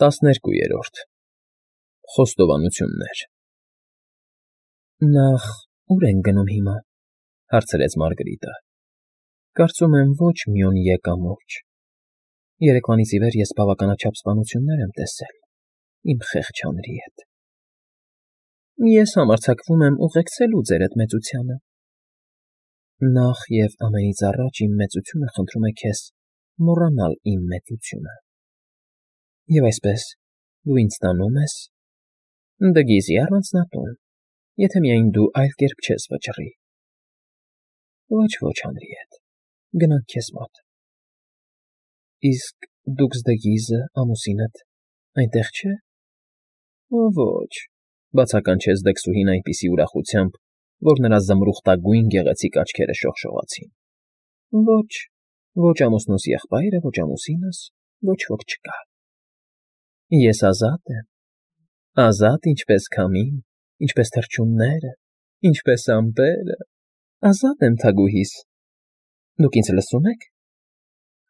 12-րդ Խոստովանություններ Նախ ուր ենք գնում հիմա, հարցրեց Մարգարիտը։ Կարծում եմ ոչ մի օր եկամուրջ։ Երեկվանից ի վեր ես բավականաչափ սպանություններ եմ տեսել իմ խեղճ հանրի հետ։ Ես համարձակվում եմ ուղեկցելու ձեր այդ մեծությանը։ Նախ և ամենից առաջ իմ մեծությունը խնդրում է քեզ մոռանալ իմ մեծությունը։ Եվ այսպես դու ինձ տանում ես դգիզի առանձնատուն, եթե միայն դու այլ կերպ չես վճռի։ Ոչ, Հանրիետ, գնանք քեզ մոտ։ Իսկ դուքսդգիզը, ամուսինդ, այնտեղ չէ։ Ոչ, բացականչեց դքսուհին այնպիսի ուրախությամբ, որ նրա զմրուխտագույն գեղեցիկ աչքերը շողշողացին։ Ոչ ամուսնուս եղբայրը, ոչ ամուսինս, ոչ ոք չկա։ Ես ազատ ինչպես քամին, ինչպես թռչունները, ինչպես ամպերը, ազատ եմ թագուհիս։ Դուք ինձ լսում եք։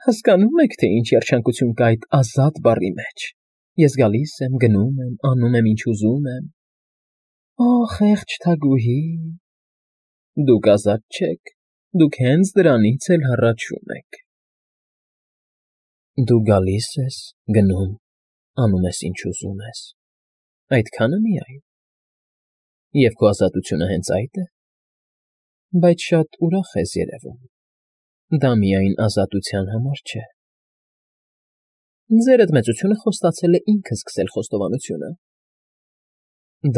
Հասկանում եք, թե ինչ երջանկություն կա այդ ազատ բառի մեջ։ Ես գալիս եմ, գնում եմ, անում եմ, ինչ ուզում եմ։ Օ, խեղճ թագուհի, դուք ազատ չեք, դուք հենց դրանից էլ հառաչում եք։ Դու գալիս ես, գնում, անում ես, ինչ ուզում ես, այդքանը միայն։ Եվ քո ազատությունը հենց այդ է։ Բայց շատ ուրախ ես երևում։ Դա միայն ազատության համար չէ։ Ձեր այդ մեծությունը խոստացել է ինքը սկսել խոստովանությունը։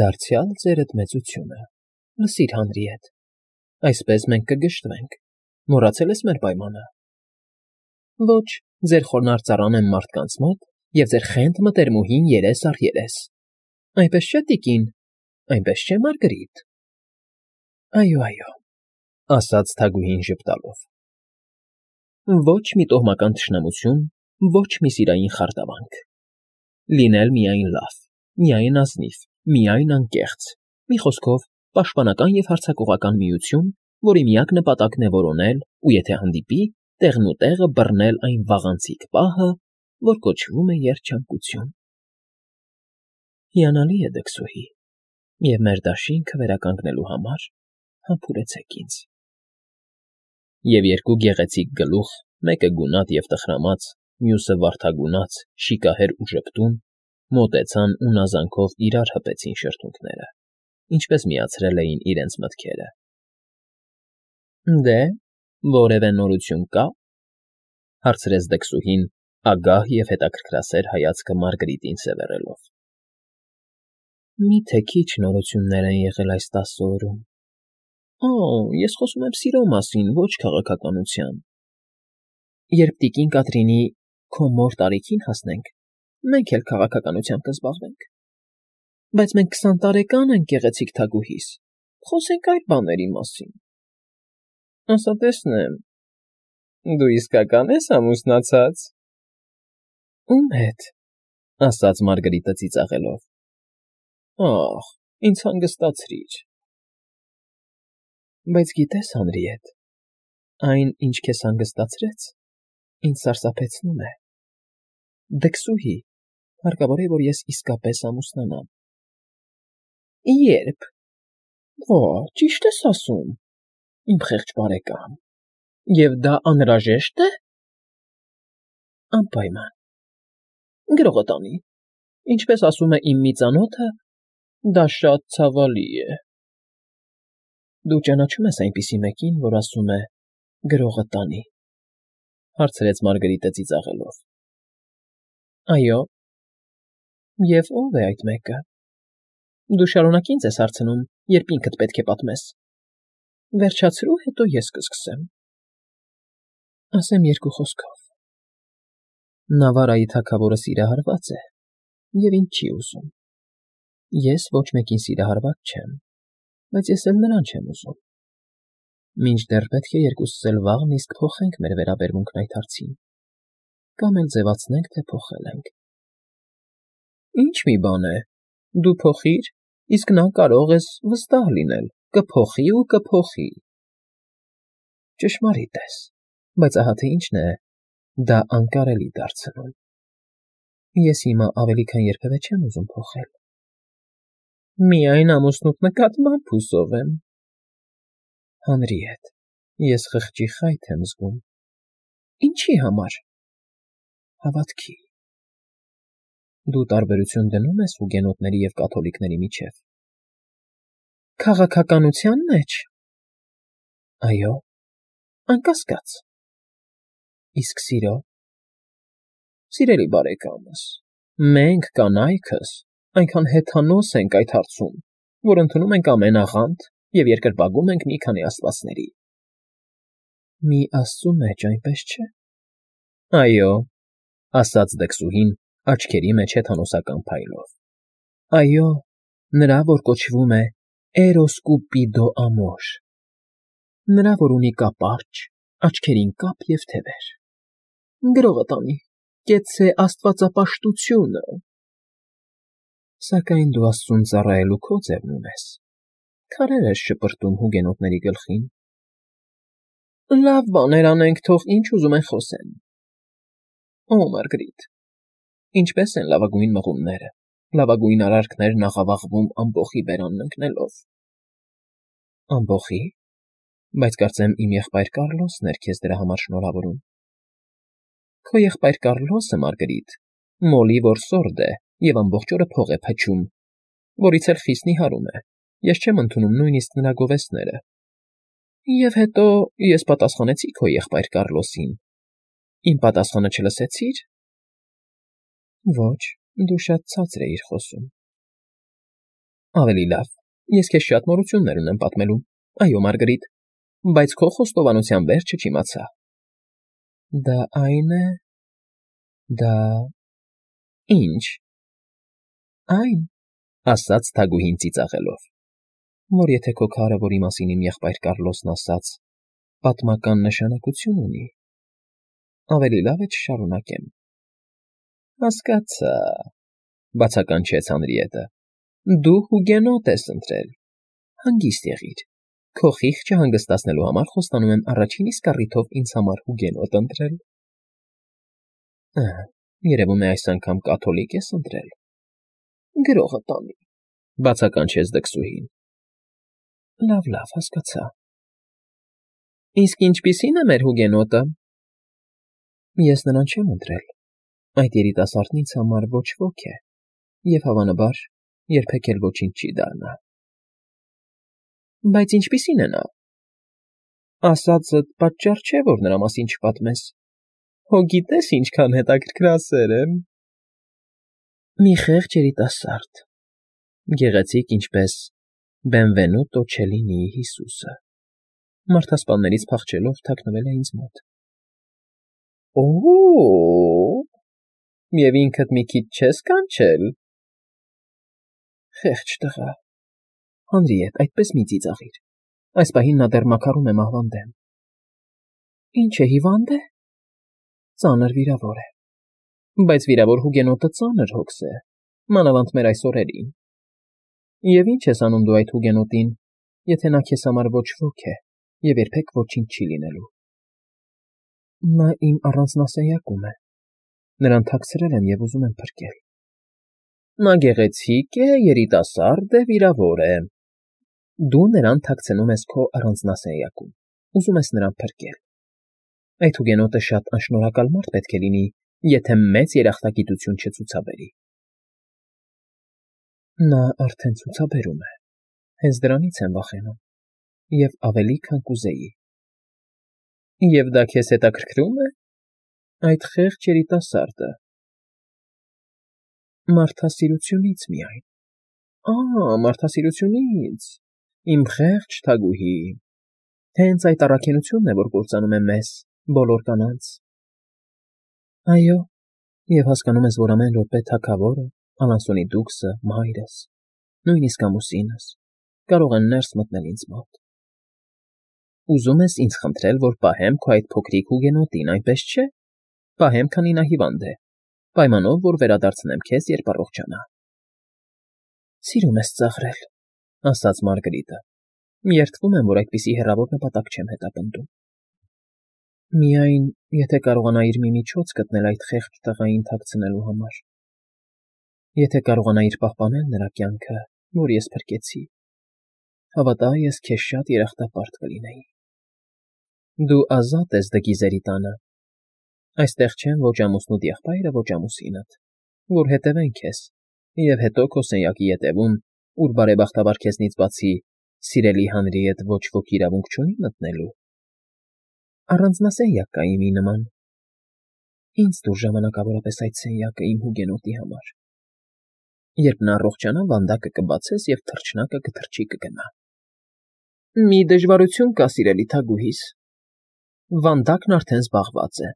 Դարձյալ ձեր այդ մեծությունը։ Լսիր, Հանրիետ, այսպես մենք կգժտվենք։ Մոռացել ես մեր պայմանը։ Ոչ, ձեր խոնարհ ծառան եմ մարդկանց մոտ, և ձեր խենթ մտերմուհին երես առ երես։ Այնպես չէ, տիկին, այնպես չէ, Մարգարիտ։ Այո, ասաց թագուհին ժպտալով։ Ոչ մի տոհմական թշնամություն, ոչ մի սիրային խարդավանք։ Լինել միայն լավ, միայն ազնիվ, միայն անկեղծ, մի խոսքով, պաշտպանական և հարձակողական միություն, որի միակ նպատակն է որոնել ու եթե հանդիպի, տեղն ու տեղը բռնել այն վաղանցիկ պահը, որ կոչվում է երջանկություն։ Հիանալի է, դքսուհի, և մեր դաշինքը վերականգնելու համար համբուրեցեք ինձ։ Եվ երկու գեղեցիկ գլուխ, մեկը գունատ և տխրամած, մյուսը վարդագունած, շիկահեր ու ժպտուն, մոտեցան ու նազանքով իրար հպեցին շրթունքները, ինչպես միացրել էին իրենց մտքերը։ Դե, որևէ նորություն կա, հարցրեց դքսուհին, ագահ և հետաքրքրասեր հայացքը Մարգարիտին սևեռելով։ Մի՞թե քիչ նորություններ են եղել այս 10 օրում։ Ես խոսում եմ սիրո մասին, ոչ քաղաքականության։ Երբ տիկին Կատրինի քո մոր տարիքին հասնենք, մենք էլ քաղաքականությամբ կզբաղվենք։ Բայց մենք 20 տարեկան ենք, գեղեցիկ թագուհիս, խոսենք այլ բաների մասին։ Ասա տեսնեմ, դու իսկական ես ամուսնացած։ Ում հետ, ասաց Մարգարիտը ծիծաղելով։ Ախ, ինձ հանգստացրիր։ Բայց գիտես, Հանրիետ, այն, ինչ քեզ հանգստացրեց, ինձ սարսափեցնում է։ Դքսուհի, հարկավոր է, որ ես իսկապես ամուսնանամ։ Երբ։ Ոչ, ճիշտ ես ասում, իմ խեղճ բարեկամ։ Եվ դա անհրաժեշտ է։ Անպայման։ Գրողը տանի։ Ինչպես ասում է իմ մի ծանոթը, դա շատ ցավալի է։ Դու ճանաչում ես այնպիսի մեկին, որ ասում է գրողը տանի, հարցրեց Մարգարիտը ծիծաղելով։ Այո։ Եվ ո՞վ է այդ մեկը։ Դու շարունակ ինձ ես հարցնում, երբ ինքդ պետք է պատմես։ Վերջացրու, հետո ես կսկսեմ։ Ասեմ երկու խոսքով։ Նավարայի թագավորը սիրահարված է, և ինձ չի ուզում։ Ես ոչ մեկին սիրահարված չեմ, բայց ես էլ նրան չեմ ուզում։ Մինչդեռ պետք է երկուսս էլ վաղն իսկ փոխենք մեր վերաբերմունքն այդ հարցին, կամ էլ ձևացնենք, թե փոխել ենք։ Ինչ մի բան է, դու փոխիր, իսկ նա կարող ես վստահ լինել, կփոխի ու կփոխի։ Ճշմարիտ ես, բայց ահա թե ինչն է դա անկարելի դարձնում։ Ես հիմա ավելի քան երբևէ չեմ ուզում փոխել։ Միայն ամուսնուդ նկատմամբ հուսով եմ։ Հանրիետ, ես խղճի խայթ եմ զգում։ Ինչի համար։ Հավատքի։ Դու տարբերություն դնում ես հուգենոտների և կաթոլիկների միջև։ Քաղաքականության մեջ։ Այո, անկասկած։ Իսկ սիրո։ Սիրելի բարեկամս, մենք կանայքս այնքան հեթանոս ենք այդ հարցում, որ ընդունում ենք ամեն աղանդ և երկրպագում ենք մի քանի աստվածների։ Մի աստծու մեջ, այնպես չէ։ Այո, ասաց դքսուհին աչքերի մեջ հեթանոսական փայլով։ Այո, նրա, որ կոչվում է Էրոս Կուպիդո ամոր։ Նրա, որ ունի կապարճ, աչքերին կապ և թևեր։ Գրողը տանի, կեցցե աստվածապաշտությունը։ Սակայն դու աստծուն ծառայելու քո ձևն ունես։ Քարեր ես շպրտում հուգենոտների գլխին։ Լավ բաներ անենք, թող ինչ ուզում են խոսեն։ Օ, Մարգրիտ, ինչպես են լավագույն մղումները, լավագույն արարքներն աղավաղվում ամբոխի բերանն ընկնելով։ Ամբոխի՞։ Բայց կարծեմ իմ եղբայր Կառլոսն էր քեզ դրա համար շնորհավորում։ Քո եղբայր Կառլոսը, Մարգրիտ, մոլի որսորդ է և ամբողջ օրը փող է փչում, որից էլ խիստ նիհարում է, ես չեմ ընդունում նույնիսկ նրա գովեստները։ Եվ հետո ես պատասխանեցի քո եղբայր Կառլոսին։ Իմ պատասխանը չլսեցի՞ր։ Ոչ, դու շատ ցածր էիր խոսում։ Ավելի լավ, ես քեզ շատ նորություններ ունեմ պատմելու, այո, Մարգրիտ, բայց քո խոստովանության վերջը չիմացա։ Դա այն է… Դա… Ինչ։ Այն, ասաց թագուհին ծիծաղելով, որ եթե քո քարը, որի մասին իմ եղբայր Կառլոսն ասաց, պատմական նշանակություն ունի, ավելի լավ է չշարունակեմ։ Հասկացա, բացականչեց Հանրիետը, դու հուգենոտ ես ընտրել։ Հանգիստ եղիր, քո խիղճը հանգստացնելու համար խոստանում եմ առաջին իսկ առիթով ինձ համար հուգենոտ ընտրել։ Երևում է այս անգամ կաթոլիկ ես ընտրել։ Գրողը տանի, բացականչեց դքսուհին։ Լավ, հասկացա։ Իսկ ինչպիսի՞ն է մեր հուգենոտը։ Ես նրան չեմ ընտրել։ Այդ երիտասարդն ինձ համար ոչ ոք է, և հավանաբար երբեք էլ ոչինչ չի դառնա։ Բայց ինչպիսի՞ն է նա։ Ասածդ պատճառ չէ, որ նրա մասին չպատմես։ Հո գիտես ինչքան հետաքրքրասեր եմ։ Մի խեղճ երիտասարդ, գեղեցիկ ինչպես Բենվենուտո Չելինիի Հիսուսը, մարդասպաններից փախչելով թաքնվել է ինձ մոտ։ Օ՜օ, և ինքդ մի քիչ չես կանչել։ Խեղճ տղա։ Հանրիետ, այդպես մի ծիծաղիր։ Այս պահին նա դեռ մաքարում է մահվան դեմ։ Ինչ է, հիվա՞նդ է։ Ծանր վիրավոր է։ Բայց վիրավոր հուգենոտը ծանր հոգս է, մանավանդ մեր այս օրերին։ Եվ ինչ ես անում դու այդ հուգենոտին, եթե նա քեզ համար ոչ ոք է և երբեք ոչինչ չի լինելու։ Նա իմ առանձնասենյակում է։ Նրան թաքցրել եմ և ուզում եմ փրկել։ Նա գեղեցիկ է, երիտասարդ է, վիրավոր է։ Դու նրան թաքցնում ես քո առանձնասենյակում, ուզում ես նրան փրկել։ Այդ հուգենոտը շատ անշնորհակալ մարդ պետք է լինի, եթե մեծ երախտագիտություն չցուցաբերի։ Նա արդեն ցուցաբերում է։ Հենց դրանից եմ վախենում, և ավելի, քան կուզեի։ Եվ դա քեզ հետաքրքրում է։ Այդ խեղճ երիտասարդը։ Մարդասիրությունից միայն։ Մարդասիրությունից։ Իմ խեղճ թագուհի։ Հենց այդ առաքինությունն է, որ կործանում է մեզ, բոլոր կանանց։ Այո, և հասկանում ես, որ ամեն րոպե թագավորը, Ալանսոնի դուքսը, մայրս, նույնիսկ ամուսինս կարող են ներս մտնել ինձ մոտ։ Ուզում ես ինձ խնդրել, որ պահեմ քո այդ փոքրիկ հուգենոտին, այնպես չէ։ Պահեմ, քանի նա հիվանդ է, պայմանով, որ վերադարձնեմ քեզ, երբ առողջանա։ Սիրում ես ծաղրել, ասաց Մարգրիտը։ Երդվում եմ, որ այդպիսի հեռավոր նպատակ չեմ հետապնդում։ Միայն, եթե կարողանայիր մի միջոց գտնել այդ խեղճ տղային թաքցնելու համար։ Եթե կարողանայիր պահպանել նրա կյանքը, որ ես փրկեցի, հավատա, ես քեզ շատ երախտապարտ կլինեի։ Դու ազատ ես Դգիզերի տանը։ Այստեղ չեն ոչ ամուսնուդ եղբայրը, ոչ ամուսինդ, որ հետևեն քեզ, և հետո քո սենյակի ետևում, ուր բարեբախտաբար քեզնից բացի սիրելի հանրի հետ ոչ ոք իրավունք չունի մտնելու։ Առանձնասենյակ կա իմի նման։ Ինձ տուր ժամանակավորապես այդ սենյակը իմ հուգենոտի համար։ Երբ նա առողջանա, վանդակը կբացես, և թռչնակը կթռչի կգնա։ Մի դժվարություն կա, սիրելի թագուհիս. վանդակն արդեն զբաղված է։